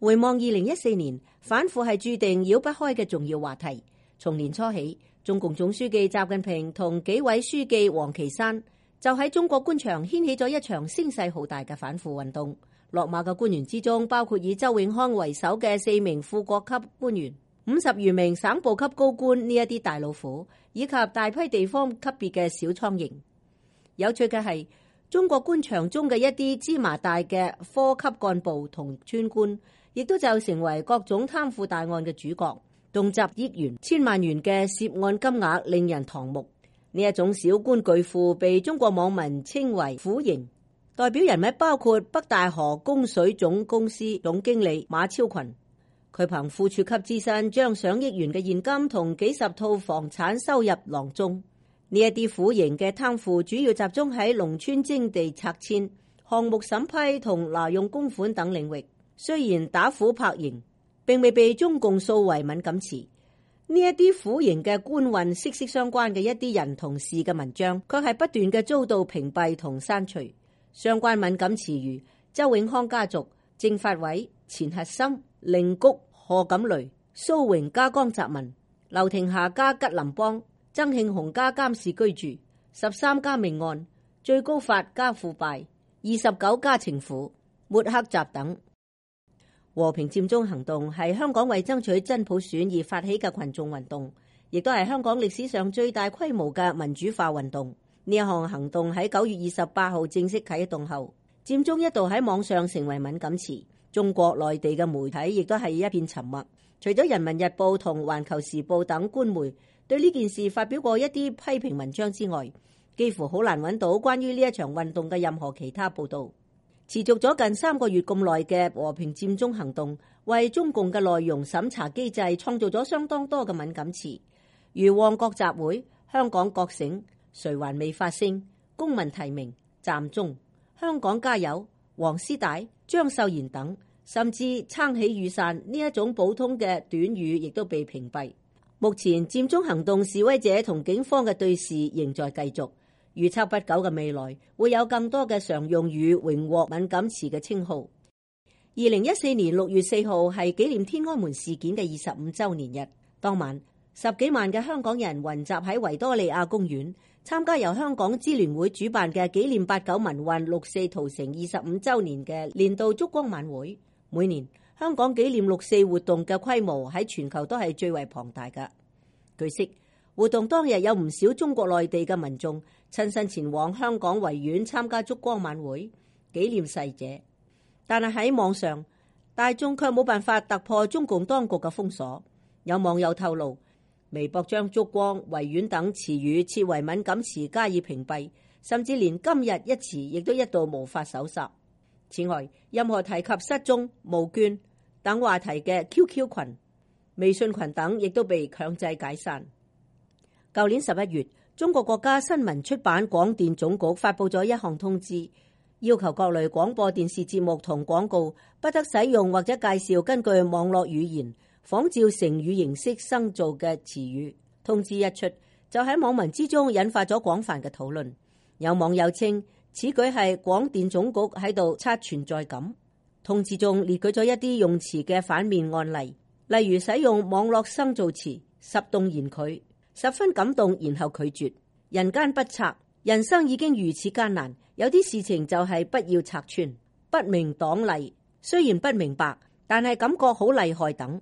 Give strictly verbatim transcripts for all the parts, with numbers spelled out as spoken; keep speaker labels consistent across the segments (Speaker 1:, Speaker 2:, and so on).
Speaker 1: 回望二零一四年，反腐係注定繞不開嘅重要話題。從年初起，中共總書記習近平同紀委書記王岐山就喺中國官場掀起咗一場聲勢浩大嘅反腐運動。落馬嘅官員之中，包括以周永康為首嘅四名副國級官員、五十餘名省部級高官呢一啲大老虎，以及大批地方級別嘅小蒼蠅。有趣嘅係，中國官場中嘅一啲芝麻大嘅科級幹部同村官，亦都就成為各種貪腐大案嘅主角，動輒億元、千萬元嘅涉案金額令人瞠目。呢一種小官巨富被中國網民稱為腐蠅。代表人物包括北大河供水總公司總經理馬超群，佢憑副處級之身將上億元嘅現金同幾十套房產收入囊中。呢一啲腐蠅嘅貪腐主要集中喺農村徵地拆遷、項目審批同挪用公款等領域。雖然打虎拍蠅並未被中共掃為敏感詞，呢一啲腐蠅嘅官運息息相關嘅一啲人同事嘅文章，卻係不斷嘅遭到屏蔽同刪除。相關敏感詞如周永康家族、政法委、錢核心、令谷、賀錦雷、蘇榮家江澤民、劉廷霞家吉林幫、曾慶紅家監視居住、十三家命案、最高法家腐敗、二十九家情婦、抹黑集等。和平佔中行動係香港為爭取真普選而發起嘅群眾運動，亦都係香港歷史上最大規模嘅民主化運動。呢一項行動喺九月二十八號正式啟動後，佔中一度喺網上成為敏感詞。中國內地嘅媒體亦都係一片沉默。除咗人民日報同環球時報等官媒對呢件事發表過一啲批評文章之外，幾乎好難揾到關於呢一場運動嘅任何其他報道。持續咗近三個月咁耐嘅和平佔中行動，為中共嘅內容審查機制創造咗相當多嘅敏感詞，如旺角集會、香港覺醒、誰還未發聲、公民提名、佔中、香港加油、黃絲帶、張秀賢等，甚至撐起雨傘呢一種普通嘅短語亦都被屏蔽。目前佔中行動示威者同警方嘅對峙仍在繼續，預測不久嘅未來會有更多嘅常用語榮獲敏感詞嘅稱號。二零一四年六月四號係紀念天安門事件嘅二十五週年日，當晚十幾萬嘅香港人雲集喺維多利亞公園，參加由香港支聯會主辦嘅紀念八九民運六四屠城二十五週年嘅年度燭光晚會。每年香港紀念六四活動嘅規模喺全球都係最為龐大㗎。據悉，活動當日有唔少中國內地嘅民眾親身前往香港維園參加燭光晚會紀念逝者，但係喺網上大眾卻冇辦法突破中共當局嘅封鎖。有網友透露，微博將燭光、維園等詞語設為敏感詞加以屏蔽，甚至連今日一詞亦都一度無法搜索。此外，任何提及失蹤、募捐等話題嘅 Q Q 群、微信群等亦都被強制解散。舊年十一月，中國國家新聞出版廣電總局發布咗一項通知，要求各類廣播電視節目同廣告不得使用或者介紹根據網絡語言仿照成語形式生造嘅詞語。通知一出，就喺網民之中引發咗廣泛嘅討論。有網友稱此舉係廣電總局喺度刷存在感。通知中列舉咗一啲用詞嘅反面案例，例如使用網絡生造詞十動言拒，十分感動然後拒絕，人間不拆，人生已經如此艱難，有啲事情就係不要拆穿，不明黨例，雖然不明白，但係感覺好厲害等。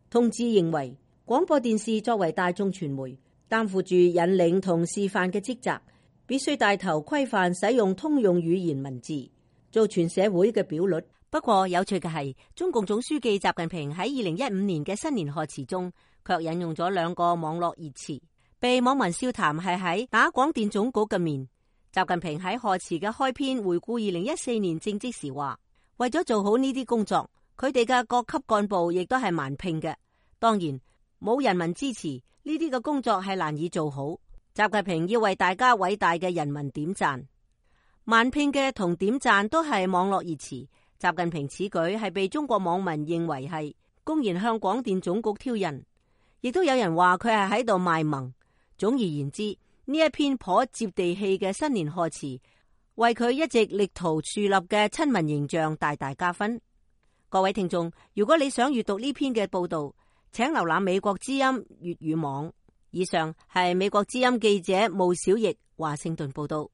Speaker 1: 通知認為，廣播電視作為大眾傳媒，擔負住引領同示範嘅職責，必須帶頭規範使用通用語言文字，做全社會嘅表率。不過有趣嘅係，中共總書記習近平喺二零一五年嘅新年賀詞中，卻引用咗兩個網絡熱詞，被網民笑談係喺打廣電總局嘅面。習近平喺賀詞嘅開篇回顧二零一四年政績時話，為咗做好呢啲工作，佢哋嘅各級幹部亦都係蠻拼嘅。當然冇人民支持，呢啲嘅工作係難以做好。習近平要為大家偉大嘅人民點讚，蠻拼嘅同點讚都係網絡熱詞。習近平此舉係被中國網民認為係公然向廣電總局挑釁，亦都有人話佢係喺度賣萌。總而言之，呢一篇頗接地氣嘅新年賀詞，為佢一直力圖樹立嘅親民形象大大加分。各位聽眾，如果你想閱讀呢篇嘅報道，請瀏覽美國之音粵語網。以上係美國之音記者巫小奕華盛頓報道。